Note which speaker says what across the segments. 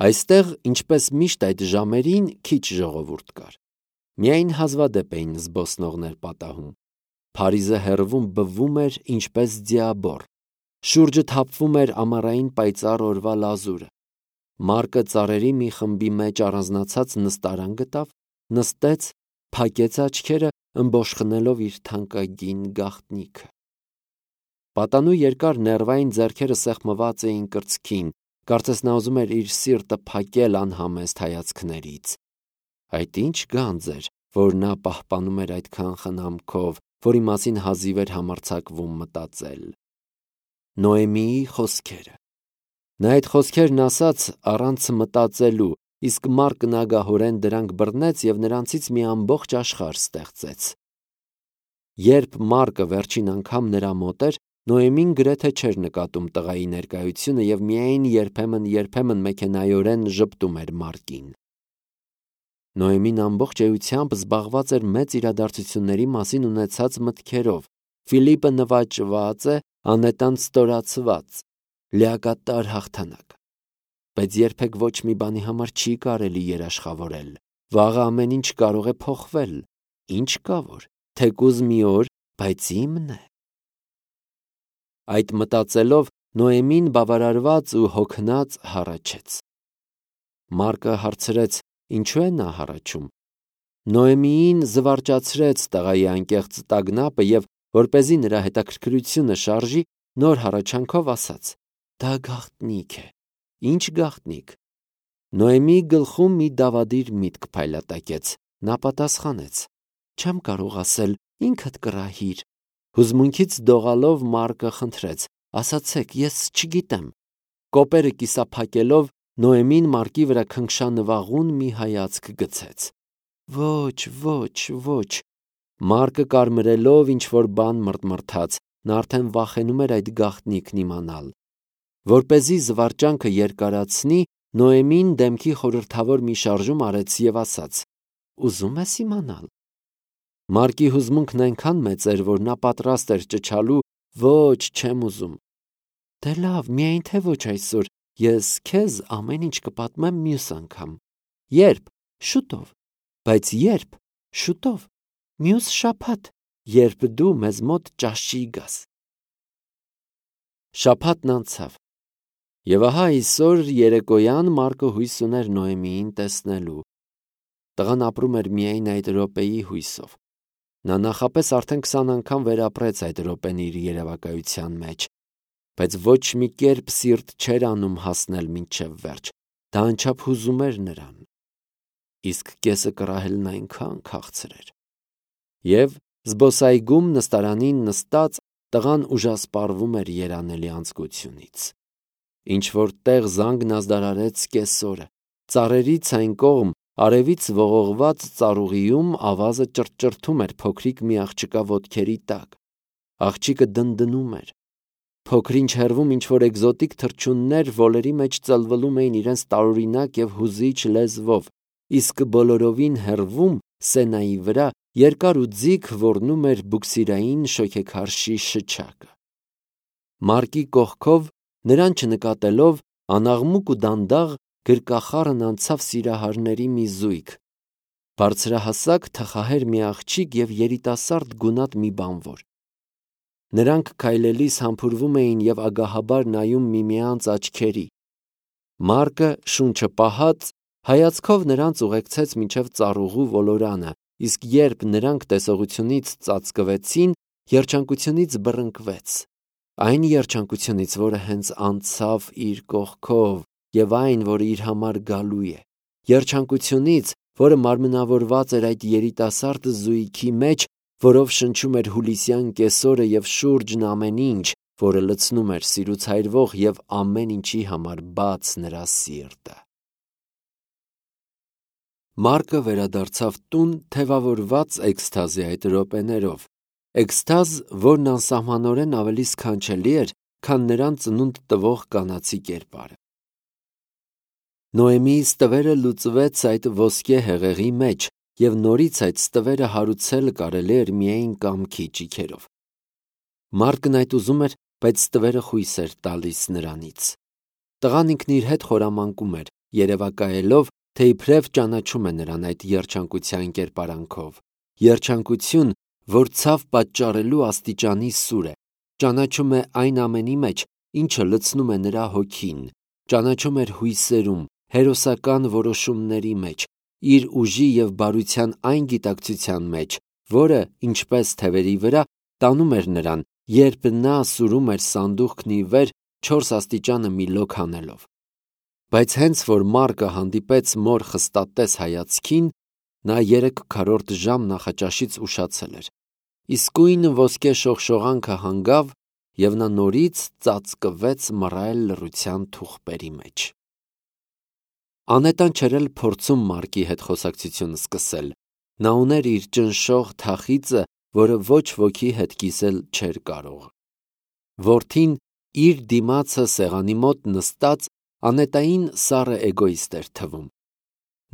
Speaker 1: Այստեղ, ինչպես միշտ այդ ժամերին, քիչ ժողովուրդ կար։ Միայն հազվադեպ էին զբոսնողներ պատահում։ Փարիզը հեռվում բվում էր ինչպես ձիաբոռ։ Շուրջը թափվում էր ամառային պայծառ օրվա լազուրը։ Մարկը ծառերի մի խմբի մեջ առանձնացած նստարան գտավ, նստեց, փակեց աչքերը, ըմբոշխնելով իր թանկագին գաղտնիքը։ Պատանու երկար ներվային ձեռքերը սեղմված էին կրծքին, կարծես նա ուզում էր իր սիրտը փակել անհամեստ հայացքներից։ Այդ ինչ գանձ էր, որ նա պահպանում էր այդքան խնամքով, որի մասին հազիվ էր համարձակվում մտածել։ Նոեմիի խոսքերը։ Նա այդ խոսքերն ասաց առանց մտածելու, իսկ Մարկն ագահորեն դրանք բռնեց և նրանցից մի ամբողջ աշխարհ ստեղծեց։ Երբ Մարկը վերջին անգամ նրա մոտ էր, Նոեմին գրեթե չէր նկատում տղայի ներկայությունը և միայն երբեմն մեքենայորեն ժպտում էր Մարկին։ Նոեմին ամբողջ էությամբ զբաղված էր մեծ իրադարձությունների մասին ունեցած մտքերով։ Ֆիլիպը նվաճված է, անետան ստորացված, լիակատար հաղթանակ։ Բայց երբեք ոչ մի բանի համար չի կարելի երաշխավորել։ Վաղը ամեն ինչ կարող է փոխվել։ Ինչ կա որ, թեկուզ մի օր, բայց իմն է։ Այդ մտածելով Նոեմին բավարարված ու հոգնած հառաչեց։ Մարկը հարցրեց. ինչու է նա հառաչում։ Նոեմիին զվարճացրեց տղայի անկեղծ տագնապը և, որպեսզի նրա հետաքրքրությունը շարժի, նոր հառաչանքով ասաց. դա գաղտնիք է։ Ինչ գաղտնիք։ Նոեմիի գլխում մի դավադիր միտք փայլատակեց։ Նա պատասխանեց. չեմ կարող ասել, ինքդ կռահիր։ Հուզմունքից դողալով Մարկը խնդրեց. ասացեք, ես չգիտեմ։ Կոպերը կիսափակելով Նոեմին Մարկի վրա քնքշանվաղուն մի հայացք գցեց։ Ոչ։ Մարկը կարմրելով ինչ-որ բան մռթմռթաց, նա արդեն վախենում էր այդ գաղտնիքն իմանալ։ Որպեսզի զվարճանքը երկարացնի, Նոեմին դեմքի խորհրդավոր մի շարժում արեց և ասաց. ուզում ես իմանալ։ Մարկի հուզմունքն այնքան մեծ էր, որ նա պատրաստ էր ճչալու. ոչ, չեմ ուզում։ Դե լավ, միայն թե ոչ այսօր, ես քեզ ամեն ինչ կպատմեմ մյուս անգամ։ Երբ։ Շուտով։ Բայց երբ։ Շուտով։ Մյուս շաբաթ, երբ դու մեզ մոտ ճաշի գաս։ Շաբաթն անցավ։ Եվ ահա այսօր երեկոյան Մարկը հույս ուներ Նոեմիին տեսնելու։ Տղան ապրում էր միայն այդ րոպեի հույսով։ Նա նախապես արդեն 20 անգամ վերապրեց այդ րոպեն իր երևակայության մեջ, բայց ոչ մի կերպ սիրտ չէր անում հասնել մինչև վերջ։ Դա անչափ հուզում էր նրան։ Իսկ կեսը կռահելն այնքան քաղցր էր։ Եվ զբոսայգում նստարանին նստած տղան ուժասպառվում էր երանելի անձկությունից։ Ինչ-որ տեղ զանգն ազդարարեց կեսօրը։ Ծառերից այն կողմ, արևից ողողված ծառուղիում ավազը ճռճռթում էր փոքրիկ մի աղջկա ոտքերի տակ։ Աղջիկը դնդնում էր։ Փոքրինչ հեռվում ինչ-որ էկզոտիկ թռչուններ ոլերի մեջ ծլվլում էին իրենց տարօրինակ և հուզիչ լեզվով, իսկ բոլորովին հեռվում, սենայի վրա, երկար ու ձիգ ոռնում էր բուքսիրային շոգեքարշի շչակը։ Մարկի կողքով, նրան չնկատելով, անաղմուկ ու դանդաղ գրկախառն անցավ սիրահարների մի զույգ։ Բարձրահասակ թխահեր մի աղջիկ և երիտասարդ գունատ մի բանվոր։ Նրանք քայլելիս համբուրվում էին և ագահաբար նայում միմյանց աչքերի։ Մարկը, շունչը պահած, հայացքով նրանց ուղեկցեց մինչև ծառուղու ոլորանը, իսկ երբ նրանք տեսողությունից ծածկվեցին, երջանկությունից բռնկվեց։ Այն երջանկությունից, որը հենց անցավ իր կողքով, և այն, որը իր համար գալու է։ Երջանկությունից, որը մարմնավորված էր այդ երիտասարդ զույգի մեջ, որով շնչում էր հուլիսյան կեսօրը և շուրջն ամեն ինչ, որը լցնում էր սիրուց այրվող և ամեն ինչի համար բաց նրա սիրտը։ Մարկը վերադարձավ տուն թևավորված էքսթազի այդ րոպեներով, էքսթազ, որն անսահմանորեն ավելի սքանչելի էր, քան նրան ծնունդ տվող կանացի կերպարը։ Նոեմիի ստվերը լուծվեց այդ ոսկե հեղեղի մեջ, և նորից այդ ստվերը հարուցել կարելի էր միայն կամքի ճիգերով։ Մարկն այդ ուզում էր, բայց ստվերը խույս էր տալիս նրանից։ Տղան ինքն իր հետ խորամանկում էր, երևակայելով, թե իբրև ճանաչում է նրան այդ երջանկության կերպարանքով, երջանկություն, որ ցավ պատճառելու աստիճանի սուր է, ճանաչում է այն ամենի մեջ, ինչը լցնում է նրա հոգին, ճանաչում էր հույսերում, հերոսական որոշումների մեջ, իր ուժի և բարության այն գիտակցության մեջ, որը, ինչպես թևերի վրա, տանում էր նրան, երբ նա սուրում էր սանդուղքն ի վեր 4 աստիճանը մի լոկ հանելով։ Բայց հենց որ Մարկը հանդիպեց մոր խստատես հայացքին, նա 3/4 ժամ նախաճաշից ուշացել էր։ Իսկույն ոսկե շողշողանքը հանգավ, և նա նորից ծածկվեց մռայլ լռության թուղթերի մեջ։ Անետան չէր էլ փորձում Մարկի հետ խոսակցություն սկսել։ Նա ուներ իր ճնշող թախիծը, որը ոչ ոքի հետ կիսել չէր կարող։ Որդին իր դիմացը սեղանի մոտ նստած Անետային սառը էգոիստ էր թվում։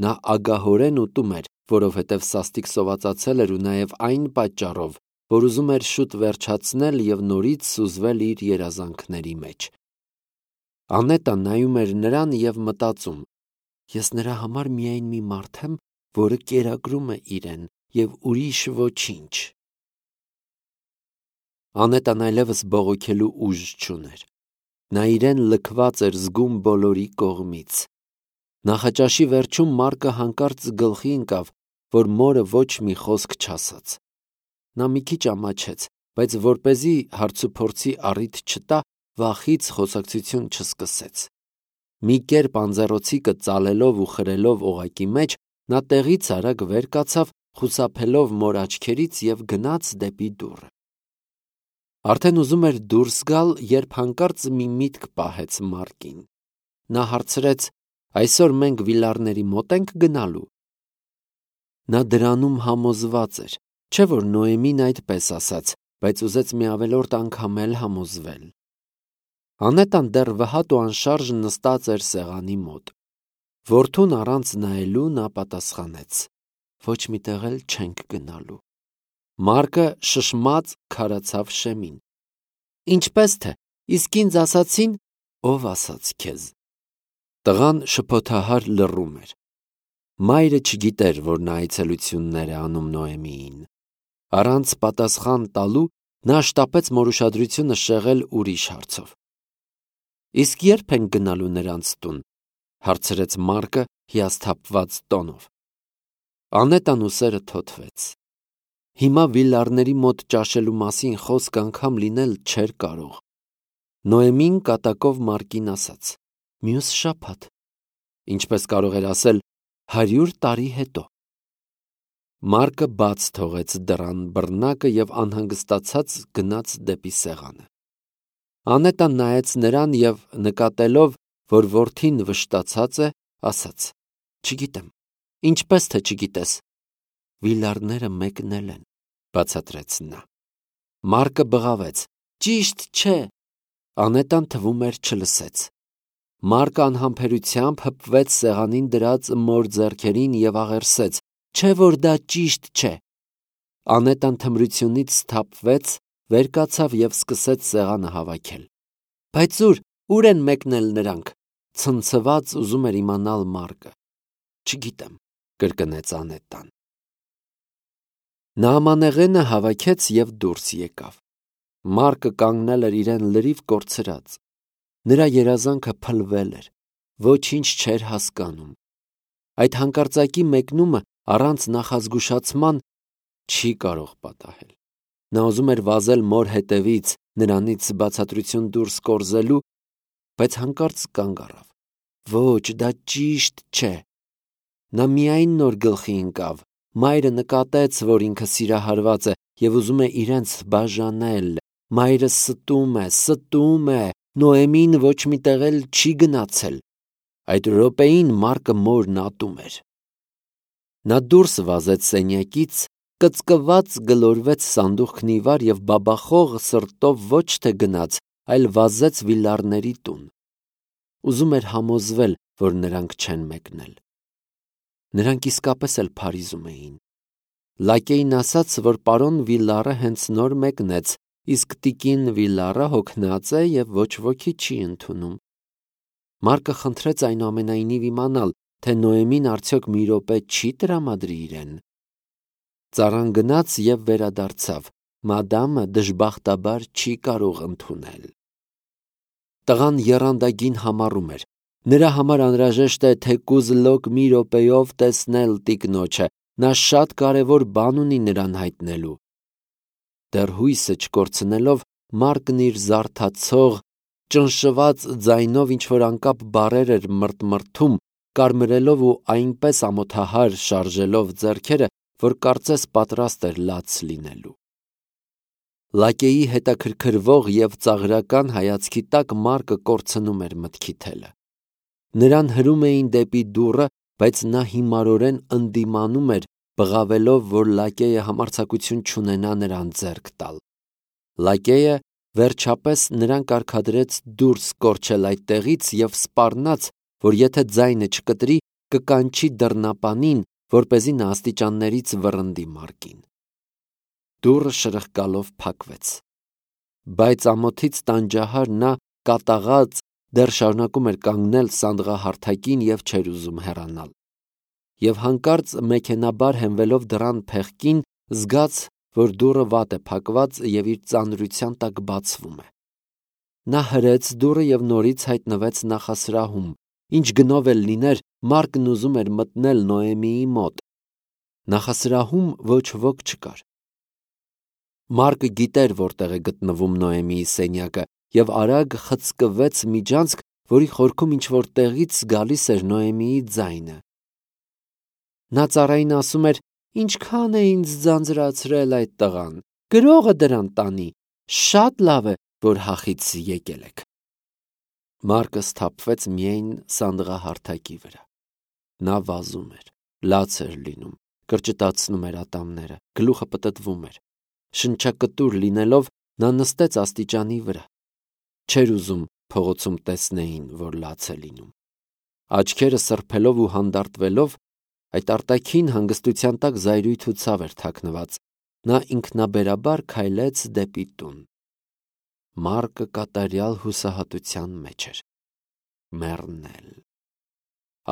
Speaker 1: Նա ագահորեն ուտում էր, որովհետև սաստիկ սովածացել էր ու նաև այն պատճառով, որ ուզում էր շուտ վերջացնել և նորից սուզվել իր երազանքների մեջ։ Անետան նայում էր նրան և մտածում. «Ես նրա համար միայն մի մարդ եմ, որը կերակրում է իրեն և ուրիշ ոչինչ»։ Անետան այլևս բողոքելու ուժ չուներ։ Նա իրեն լքված էր զգում բոլորի կողմից։ Նախաճաշի վերջում Մարկը հանկարծ գլխի ընկավ, որ մորը ոչ մի խոսք չասաց։ Նա մի քիչ ամաչեց, բայց որպեսզի հարցուփորձի առիթ չտա, վախից խոսակցություն չսկսեց։ Մի կերպ անձեռոցիկը ծալելով ու խրելով օղակի մեջ, նա տեղից արագ վեր կացավ, խուսափելով մոր աչքերից և գնաց դեպի դուռը։ Արդեն ուզում էր դուրս գալ, երբ հանկարծ մի միտք պահեց Մարկին։ Նա հարցրեց. «Այսօր մենք Վիլարների մոտ ենք գնալու»։ Նա դրանում համոզված էր, չէ՞ որ Նոեմին այդպես ասաց, բայց ուզեց մի ավելորդ անգամ էլ համոզվել։ Անետան դեռ վհատ ու անշարժ նստած էր սեղանի մոտ։ Որդուն առանց նայելու նա պատասխանեց. «Ոչ մի տեղ էլ չենք գնալու»։ Մարկը շշմած քարացավ շեմին։ «Ինչպես թե, իսկ ինձ ասացին»։ «Ով ասաց քեզ»։ Տղան շփոթահար լռում էր։ Մայրը չգիտեր, որ նա այցելություններ է անում Նոեմիին։ Առանց պատասխան տալու նա շտապեց մոր ուշադրությունը շեղել ուրիշ հարցով։ «Իսկ ե՞րբ ենք գնալու նրանց տուն»։ Հարցրեց Մարկը հիասթափված տոնով։ Անետան ուսերը թոթվեց։ Հիմա Վիլարների մոտ ճաշելու մասին խոսք անգամ լինել չէր կարող։ Նոեմին կատակով Մարկին ասաց. «Մյուս շաբաթ»։ Ինչպես կարող էր ասել 100 տարի հետո։ Մարկը բաց թողեց դռան բռնակը և անհանգստացած գնաց դեպի սեղանը։ Անետան նայեց նրան և, նկատելով, որ որդին վշտացած է, ասաց. «Չգիտեմ»։ «Ինչպես թե չգիտես»։ «Վիլարները մեկնել են», բացատրեց նա։ Մարկը բղավեց. «Ճիշտ չէ»։ Անետան թվում էր չլսեց։ Մարկը անհամբերությամբ հպվեց սեղանին դրած մոր ձեռքերին և աղերսեց. «Չէ՞ որ դա ճիշտ չէ»։ Անետան թմրությունից սթափվեց, վեր կացավ և սկսեց սեղանը հավաքել։ «Բայց ուր են մեկնել նրանք»։ Ցնցված ուզում էր իմանալ Մարկը։ «Չգիտեմ», կրկնեց Անետան։ Նա ամանեղենը հավաքեց և դուրս եկավ։ Մարկը կանգնել էր իրեն լրիվ կորցրած։ Նրա երազանքը փլվել էր, ոչինչ չէր հասկանում։ Այդ հանկարծակի մեկնումը առանց նախազգուշացման չի կարող պատահել։ Նա ուզում էր վազել մոր հետևից, նրանից բացատրություն դուրս կորզելու, բայց հանկարծ կանգ առավ։ Ոչ, դա ճիշտ չէ։ Նա միայն նոր գլխի ընկավ։ Մայրը նկատեց, որ ինքը սիրահարված է և ուզում է իրենց բաժանել։ Մայրը ստում է, Նոեմին ոչ մի տեղ էլ չի գնացել։ Այդ րոպեին Մարկը մորն ատում էր։ Նա դուրս վազեց սենյակից, կծկված գլորվեց սանդուղքն ի վար և բաբախող սրտով ոչ թե գնաց, այլ վազեց Վիլարների տուն։ Ուզում էր համոզվել, որ նրանք չեն մեկնել։ Նրանք իսկապես էլ Փարիզում էին։ Լակեին ասաց, որ պարոն Վիլարը հենց նոր մեկնեց, իսկ տիկին Վիլարը հոգնած է և ոչ ոքի չի ընդունում։ Մարկը խնդրեց այնուամենայնիվ իմանալ, թե Նոեմին արդյոք մի րոպե չի տրամադրի իրեն։ Ծառան գնաց և վերադարձավ. մադամը դժբախտաբար չի կարող ընդունել։ Տղան եռանդագին համառում էր. նրա համար անհրաժեշտ է թեկուզ լոկ մի րոպեով տեսնել տիկնոջը, նա շատ կարևոր բան ունի նրան հայտնելու։ Դեռ հույսը չկորցնելով, Մարկն իր զարթացող, ճնշված ձայնով ինչ-որ անկապ բառեր էր մրթմրթում, կարմրելով ու այնպես ամոթահար շարժելով ձեռքերը, որ կարծես պատրաստ էր լաց լինելու։ Լակեի հետաքրքրվող և ծաղրական հայացքի տակ Մարկը կորցնում էր մտքի թելը։ Նրան հրում էին դեպի դուռը, բայց նա հիմարորեն ընդդիմանում էր, բղավելով, որ լակեյը համարձակություն չունենա նրան ձեռք տալ։ Լակեյը վերջապես նրան կարգադրեց դուրս կորչել այդտեղից և սպառնաց, որ եթե ձայնը չկտրի, կկանչի դռնապանին, որպեսզի նա աստիճաններից վռնդի Մարկին։ Դուռը շրխկալով փակվեց, բայց ամոթից տանջահար նա կատաղած դեռ շարունակում էր կանգնել սանդղահարթակին և չէր ուզում հեռանալ։ Եվ հանկարծ մեքենաբար հենվելով դռան փեղկին, զգաց, որ դուռը վատ է փակված և իր ծանրության տակ բացվում է։ Նա հրեց դուռը և նորից հայտնվեց նախասրահում։ Ինչ գնով էլ լիներ, Մարկն ուզում էր մտնել Նոեմիի մոտ։ Նախասրահում ոչ ոք չկար։ Մարկը գիտեր որտեղ է գտնվում Նոեմիի սենյակը և արագ խցկվեց միջանցք, որի խորքում ինչ-որ տեղից գալիս էր Նոեմիի ձայնը։ Նա ծառային ասում էր. «Ինչքան է ինձ ձանձրացրել այդ տղան, գրողը դրան տանի, շատ լավ է, որ հախից եկել եք»։ Մարկը սթափվեց միայն սանդղահարթակի վրա։ Նա վազում էր, լաց էր լինում, կրճտացնում էր ատամները, գլուխը պտտվում էր։ Շնչակտուր լինելով, նա նստեց աստիճանի վրա։ Չէր ուզում փողոցում տեսնեին, որ լաց է լինում։ Աչքերը սրբելով ու հանդարտվելով, այդ արտաքին հանգստության տակ զայրույթ ու ցավ էր թաքնված, նա ինքնաբերաբար քայլեց դեպի տուն։ Մարկը կատարյալ հուսահատության մեջ էր։ Մեռնել։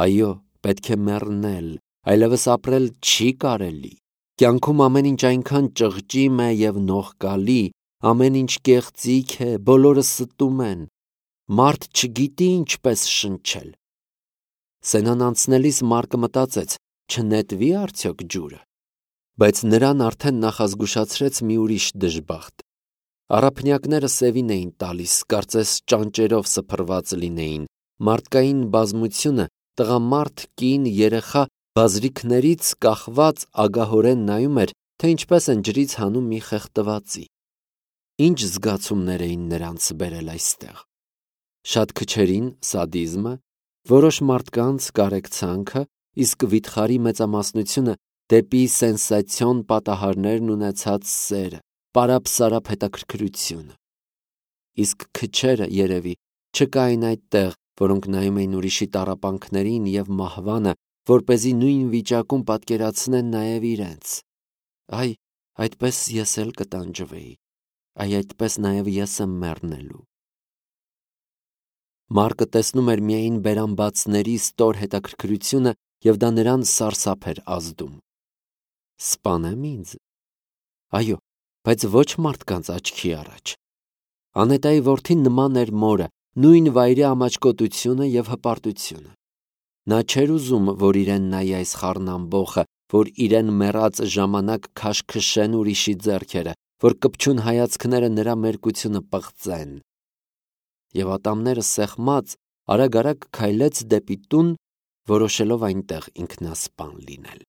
Speaker 1: Այո, պետք է մեռնել, այլևս ապրել չի կարելի։ Կյանքում ամեն ինչ այնքան ճղճիմ է և նողկալի, ամեն ինչ կեղծիք է, բոլորը ստում են։ Մարդ չգիտի ինչպես շնչել։ Սենան անցնելիս Մարկը մտածեց. չնետվի՞ արդյոք ջուրը։ Բայց նրան արդեն նախազգուշացրեց մի ուրիշ դժբախտ։ Առափնյակները սևին էին տալիս, կարծես ճանճերով սփռված լինեին։ Մարդկային բազմությունը, տղամարդ, կին, երեխա բազրիքներից կախված ագահորեն նայում էր, թե ինչպես են ջրից հանում մի խեղդվածի։ Ինչ զգացումներ էին նրանց բերել այստեղ։ Շատ քչերին սադիզմը, որոշ մարդկանց կարեկցանքը, իսկ վիթխարի մեծամասնությունը դեպի սենսացիոն պատահարներն ունեցած սերը, պարապ-սարապ հետաքրքրությունը։ Իսկ քչերը, երևի, չկային այդտեղ, որոնք նայում էին ուրիշի տառապանքներին և մահվանը, որպեսզի նույն վիճակում պատկերացնեն նաև իրենց։ Այ, այդպես ես էլ կտանջվեի, այդպես նաև ես եմ մեռնելու։ Մարկը տեսնում էր միայն բերանբացների ստոր հետաքրքրությունը և դա նրան սարսափ էր ազդում։ Սպանեմ ինձ։ Այո, բայց ոչ մարդկանց աչքի առաջ։ Անետայի որդին նման էր մորը, նույն վայրի ամաչկոտությունը և հպարտությունը։ Նա չէր ուզում, որ իրեն նայի այս խառնամբոխը, որ իրեն մեռած ժամանակ քաշքշեն ուրիշի ձեռքերը, որ կպչուն հայացքները նրա մերկությունը պղծեն։ Եվ ատամները սեղմած, արագ-արագ քայլեց դեպի տուն, որոշելով այնտեղ ինքնասպան լինել։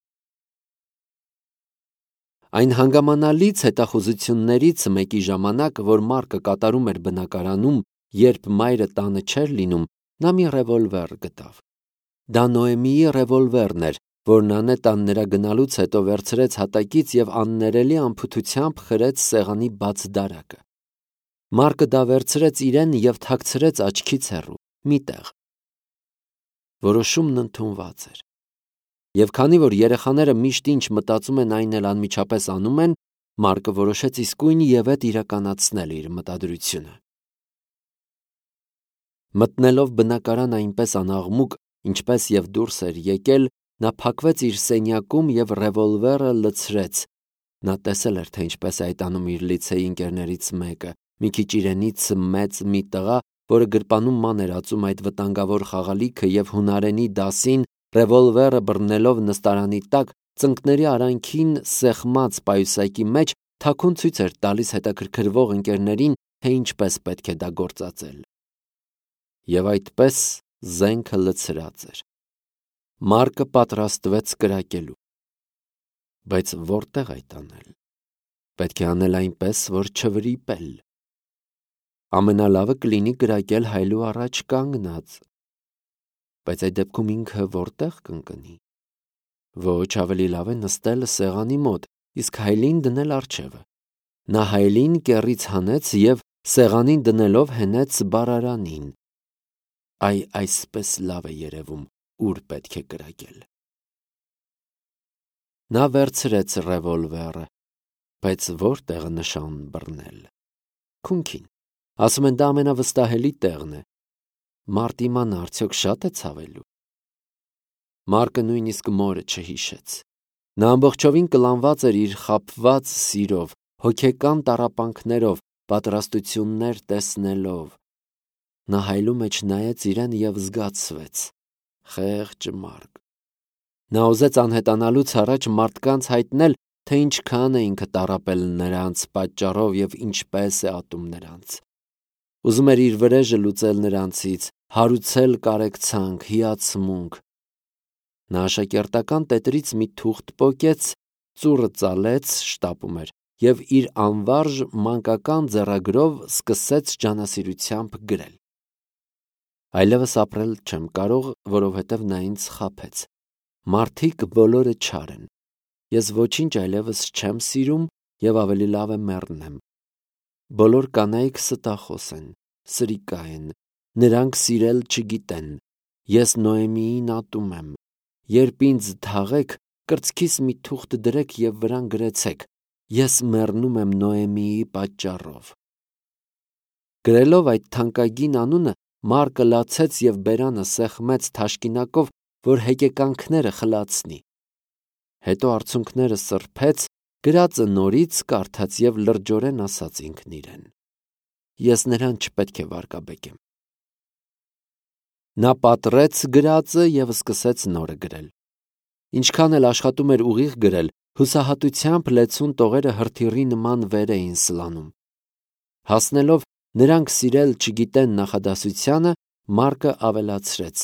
Speaker 1: Այն հանգամանալից հետախուզություններից մեկի ժամանակ, որ Մարկը կատարում էր բնակարանում, երբ մայրը տանը չէր լինում, նա մի ռևոլվեր գտավ։ Դա Նոեմիի ռևոլվերն էր, որն Անետան նրա գնալուց հետո վերցրեց հատակից և աններելի անփութությամբ խրեց սեղանի բաց դարակը։ Մարկը դա վերցրեց իրեն և թաքցրեց աչքից հեռու, մի տեղ։ Որոշումն ընդունված էր։ Եվ քանի որ երեխաները միշտ ինչ մտածում են, այն էլ անմիջապես անում են, Մարկը որոշեց իսկույն ևեթ իրականացնել իր մտադրությունը։ Մտնելով բնակարան այնպես անաղմուկ, ինչպես և դուրս էր եկել, նա փակվեց իր սենյակում և ռևոլվերը լցրեց։ Նա տեսել էր, թե ինչպես է այդ անում իր լիցեի ընկերներից մեկը, մի քիչ իրենից մեծ մի տղա, որը գրպանում ման էր ածում այդ վտանգավոր խաղալիքը և հունարենի դասին, ռևոլվերը բռնելով նստարանի տակ, ծնկների արանքին սեղմած պայուսակի մեջ, թաքուն ցույց էր տալիս հետաքրքրվող ընկերներին, թե ինչպես պետք է դա գործածել։ Եվ այդպես զենքը լցրած էր։ Մարկը պատրաստվեց կրակելու։ Բայց որտեղ այդ անել։ Պետք է անել այնպես, որ չվրիպել։ Ամենալավը կլինի կրակել հայելու առաջ կանգնած։ Բայց այդ դեպքում ինքը որտեղ կընկնի։ Ոչ, ավելի լավ է նստել սեղանի մոտ, իսկ հայելին դնել առջևը։ Նա հայելին կեռից հանեց և սեղանին դնելով հենեց բարարանին։ Այսպես լավ է երևում, ուր պետք է կրակել։ Նա վերցրեց ռևոլվերը, բայց որտեղը նշան բռնել։ Քունքին։ Ասում են դա ամենավստահելի տեղն է։ Մարդ իմանա, արդյոք շատ է ցավելու։ Մարկը նույնիսկ մորը չհիշեց։ Նա ամբողջովին կլանված էր իր խաբված սիրով, հոգեկան տառապանքներով, պատրաստություններ տեսնելով։ Նա հայելու մեջ նայեց իրեն և զգացվեց. խեղճ մարդ։ Նա ուզեց անհետանալուց առաջ մարդկանց հայտնել, թե ինչքան է ինքը տառապել նրանց պատճառով և ինչպես է ատում նրանց։ Ուզում էր իր վրեժը լուծել նրանցից, հարուցել կարեկցանք, հիացմունք։ Նա աշակերտական տետրից մի թուղթ պոկեց, ծուռը ծալեց, շտապում էր, և իր անվարժ մանկական ձեռագրով սկսեց ջանասիրությամբ գրել. Այլևս ապրել չեմ կարող, որովհետև նա ինձ խաբեց։ Մարդիկ բոլորը չար են։ Ես ոչինչ այլևս չեմ սիրում և ավելի լավ է մեռնեմ։ Բոլոր կանայք ստախոս են, սրիկա են, նրանք սիրել չգիտեն։ Ես Նոեմիին ատում եմ։ Երբ ինձ թաղեք, կրծքիս մի թուղթ դրեք և վրան գրեցեք. ես մեռնում եմ Նոեմիի պատճառով։ Գրելով այդ թանկագին անունը, Մարկը լացեց և բերանը սեղմեց թաշկինակով, որ հեկեկանքները խլացնի։ Հետո արցունքները սրբեց, գրածը նորից կարդաց և լրջորեն ասաց ինքն իրեն. ես նրան չպետք է վարկաբեկեմ։ Նա պատռեց գրածը և սկսեց նորը գրել։ Ինչքան էլ աշխատում էր ուղիղ գրել, հուսահատությամբ լեցուն տողերը հրթիռի նման վեր էին սլանում։ Հասնելով «նրանք սիրել չգիտեն» նախադասությանը, Մարկը ավելացրեց.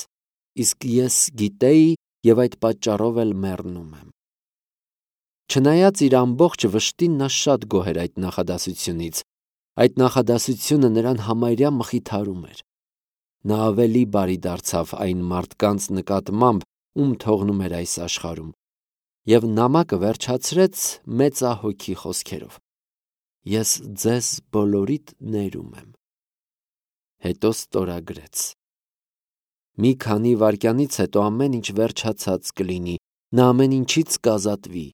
Speaker 1: իսկ ես գիտեի և այդ պատճառով էլ մեռնում եմ։ Չնայած իր ամբողջ վշտին, նա շատ գոհ էր այդ նախադասությունից։ Այդ նախադասությունը նրան համարյա մխիթարում էր։ Նա ավելի բարի դարձավ այն մարդկանց նկատմամբ, ում թողնում էր այս աշխարհում, և նամակը վերջացրեց մեծահոգի խոսքերով. ես ձեզ բոլորիդ ներում եմ։ Հետո ստորագրեց. մի քանի վայրկյանից հետո ամեն ինչ վերջացած կլինի, նա ամեն ինչից կազատվի։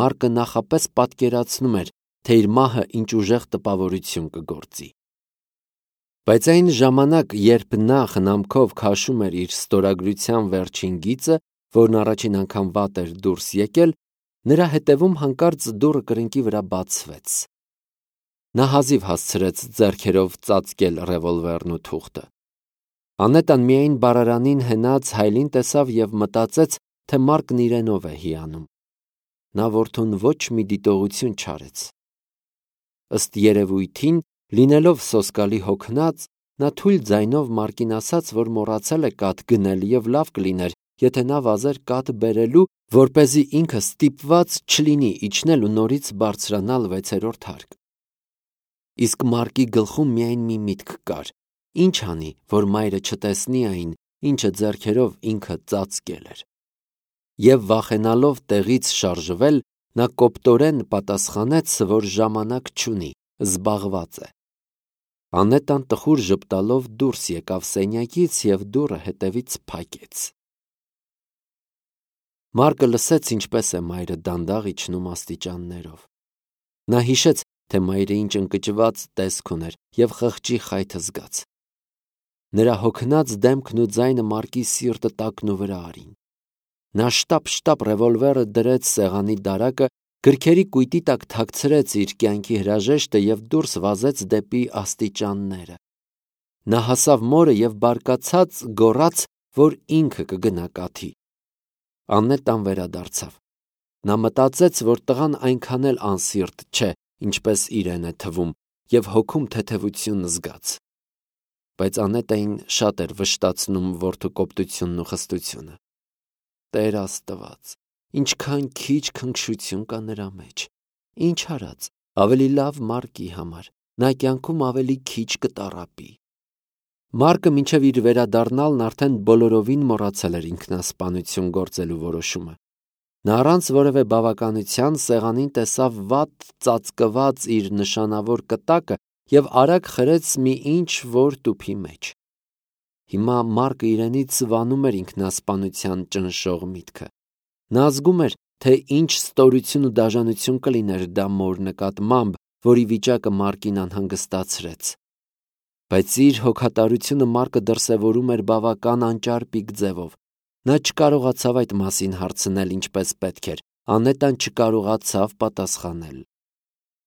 Speaker 1: Մարկը նախապես պատկերացնում էր, թե իր մահը ինչ ուժեղ տպավորություն կգործի։ Բայց այն ժամանակ, երբ նա խնամքով քաշում էր իր ստորագրության վերջին գիծը, որն առաջին անգամ վատ էր դուրս եկել, նրա հետևում հանկարծ դուռը կրկնակի վրա բացվեց։ Նա հազիվ հասցրեց ձեռքերով ծածկել ռևոլվերն ու թուղթը։ Անետան միայն բարարանին հենած հայելին տեսավ և մտածեց, թե Մարկն իրենով է հիանում։ Նա որդուն ոչ մի դիտողություն չարեց։ Ըստ երևույթին, լինելով սոսկալի հոգնած, նա թույլ ձայնով Մարկին ասաց, որ մոռացել է կաթ գնել և լավ կլիներ, եթե նա վազեր կաթ բերելու, որպեսզի ինքը ստիպված չլինի իջնել ու նորից բարձրանալ 6-րդ հարկ։ Իսկ Մարկի գլխում միայն մի միտք կար. ինչ անի, որ մայրը չտեսնի այն, ինչը ձեռքերով ինքը ծածկել էր։ Եվ վախենալով տեղից շարժվել, նա կոպտորեն պատասխանեց, որ ժամանակ չունի, զբաղված է։ Անետան տխուր ժպտալով դուրս եկավ սենյակից և դուռը հետևից փակեց։ Մարկը լսեց, ինչպես է մայրը դանդաղ իջնում աստիճաններով։ Նա հիշեց, թե մայրը ինչ ընկճված տեսք ուներ և խղճի խայթը զգաց։ Նրա հոգնած դեմքն ու ձայնը Մարկի սիրտը տակն ու վրա արին։ Նա շտապ ռևոլվերը դրեց սեղանի դարակը, գրքերի կույտի տակ թաքցրեց իր կյանքի հրաժեշտը և դուրս վազեց դեպի աստիճանները։ Նա հասավ մորը և բարկացած գոռաց, որ ինքը կգնա կաթի։ Աննետան վերադարձավ։ Նա մտածեց, որ տղան այնքան էլ անսիրտ չէ, ինչպես իրեն է թվում, և հոգում թեթևություն զգաց։ Բայց Անետային շատ էր վշտացնում որդու կոպտությունն ու խստությունը։ Տեր Աստված, ինչքան քիչ քնքշություն կա նրա մեջ։ Ինչ արած, ավելի լավ Մարկի համար, նա կյանքում ավելի քիչ կտառապի։ Մարկը մինչև իր վերադառնալն արդեն բոլորովին մոռացել էր ինքնասպանություն գործելու որոշումը։ Նա առանց որևէ բավականության սեղանին տեսավ վատ ծածկված իր նշանավոր կտակը և արագ խրեց մի ինչ-որ տուփի մեջ։ Հիմա Մարկը իրենից վանում էր ինքնասպանության ճնշող միտքը։ Նա զգում էր, թե ինչ ստորություն ու դաժանություն կլիներ դա մոր նկատմամբ, որի վիճակը Մարկին անհանգստացրեց։ Բայց իր հոգատարությունը Մարկը դրսևորում էր բավական անճարպիկ ձևով։ Նա չկարողացավ այդ մասին հարցնել ինչպես պետք էր, Անետան չկարողացավ պատասխանել։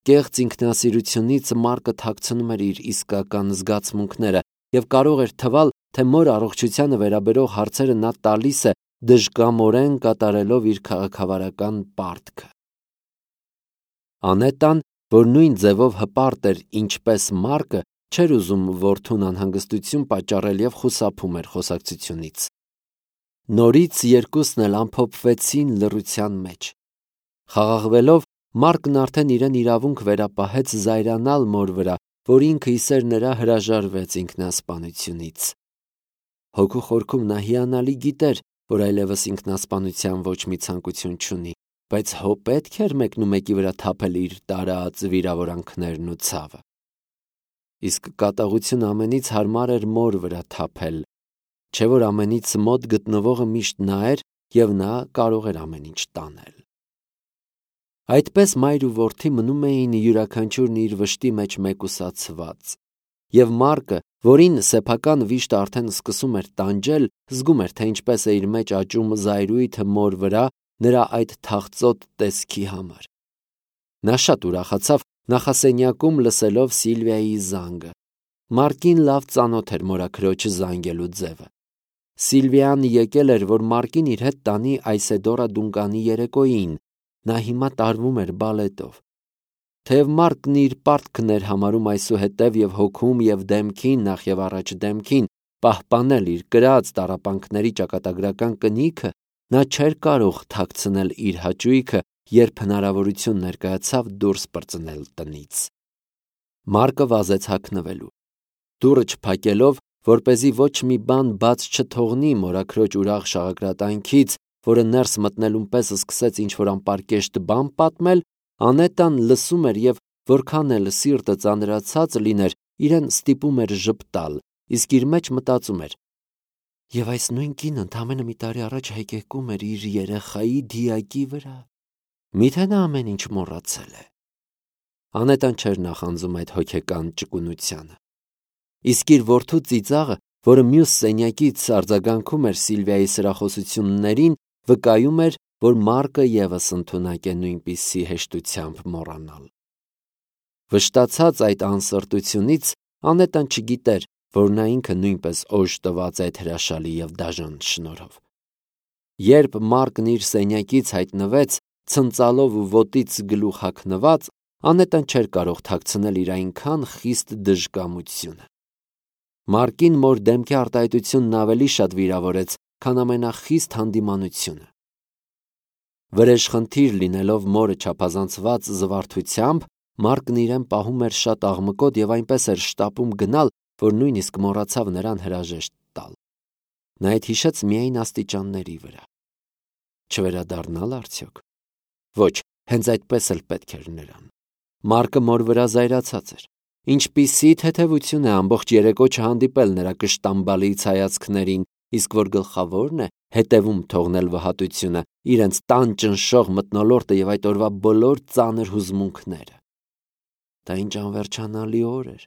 Speaker 1: Կեղծ ինքնասիրությունից Մարկը թաքցնում էր իր իսկական զգացմունքները և կարող էր թվալ, թե մոր առողջությանը վերաբերող հարցերը նա տալիս է դժկամորեն կատարելով իր քաղաքավարական պարտքը։ Անետան, որ նույն ձևով հպարտ էր ինչպես Մարկը, չէր ուզում որդուն անհանգստություն պատճառել և խուսափում էր խոսակցությունից։ Նորից երկուսն էլ ամփոփվեցին լռության մեջ։ Խաղաղվելով, Մարկն արդեն իրեն իրավունք վերապահեց զայրանալ մոր վրա, որ ինքը իսեր նրա հրաժարվեց ինքնասպանությունից։ Հոգու խորքում նա հիանալի գիտեր, որ այլևս ինքնասպանության ոչ մի ցանկություն չունի, բայց հո պետք էր մեկնումեկի վրա թափել իր տարած վիրավորանքներն ու ցավը։ Իսկ կատաղություն ամենից հարմար էր մոր վրա թափել, չէ՞ որ ամենից մոտ գտնվողը միշտ նա էր և նա կարող էր ամեն ինչ տանել։ Այդպես մայր ու որդի մնում էին յուրաքանչյուրն իր վշտի մեջ մեկուսացված։ Եվ Մարկը, որին սեփական վիշտը արդեն սկսում էր տանջել, զգում էր, թե ինչպես է իր մեջ աճում զայրույթը մոր վրա նրա այդ թախծոտ տեսքի համար։ Նա շատ ուրախացավ նախասենյակում լսելով Սիլվիայի զանգը։ Մարկին լավ ծանոթ էր մորաքրոջը զանգելու ձևը։ Սիլվիան եկել էր, որ Մարկին իր հետ տանի Այսեդորա Դունկանի երեկոյին։ Նա հիմա տարվում էր բալետով։ Թեև Մարկն իր պարտքն էր համարում այսուհետև և հոգում և դեմքին, նախ և առաջ դեմքին, պահպանել իր կրած տառապանքների ճակատագրական կնիքը, նա չէր կարող թաքցնել իր հաճույքը, երբ հնարավորություն ներկայացավ դուրս պրծնել տնից։ Մարկը վազեց հագնվելու։ Դուռը չփակելով, որպեսզի ոչ մի բան բաց չթողնի մորաքրոջ ուրախ շաղակրատանքից, որը ներս մտնելուն պես սկսեց ինչ-որ անպարկեշտ բան պատմել, Անետան լսում էր և որքան էլ սիրտը ծանրացած լիներ, իրեն ստիպում էր ժպտալ, իսկ իր մեջ մտածում էր. «Եվ այս նույն կինը ընդամենը մի տարի առաջ հեկեկում էր իր երեխայի դիակի վրա։ Միթե նա ամեն ինչ մոռացել է»։ Անետան չէր նախանձում այդ հոգեկան ճկունությանը։ Իսկ իր որդու ծիծաղը, որը մյուս սենյակից արձագանքում էր Սիլվիայի սրախոսություններին, վկայում էր, որ Մարկը ևս ընդունակ է նույնպիսի հեշտությամբ մոռանալ։ Վշտացած այդ անսրտությունից Անետան չգիտեր, որ նա ինքը նույնպես օժտված է այդ հրաշալի և դաժան շնորհով։ Երբ Մարկն իր սենյակից հայտնվեց, ցնծալով ու ոտից գլուխ հագնված, Անետան չէր կարող թաքցնել իր այնքան խիստ դժկամությունը։ Մարկին մոր դեմքի արտահայտությունն ավելի շատ վիրավորեց, քան ամենախիստ հանդիմանությունը։ Վրեժխնդիր լինելով մորը չափազանցված զվարթությամբ, Մարկն իրեն պահում էր շատ աղմկոտ և այնպես էր շտապում գնալ, որ նույնիսկ մոռացավ նրան հրաժեշտ տալ։ Նա այդ հիշեց միայն աստիճանների վրա։ Չվերադառնալ արդյոք։ Ոչ, հենց այդպես էլ պետք էր նրան։ Մարկը մոր վրա զայրացած էր։ Ինչպիսի թեթևություն է ամբողջ երեկո չհանդիպել նրա կշտամբալից հայացքներին, իսկ որ գլխավորն է, հետևում թողնել վհատությունը, իրենց տան ճնշող մթնոլորտը և այդ օրվա բոլոր ծանր հուզմունքները։ Դա ինչ անվերջանալի օր էր։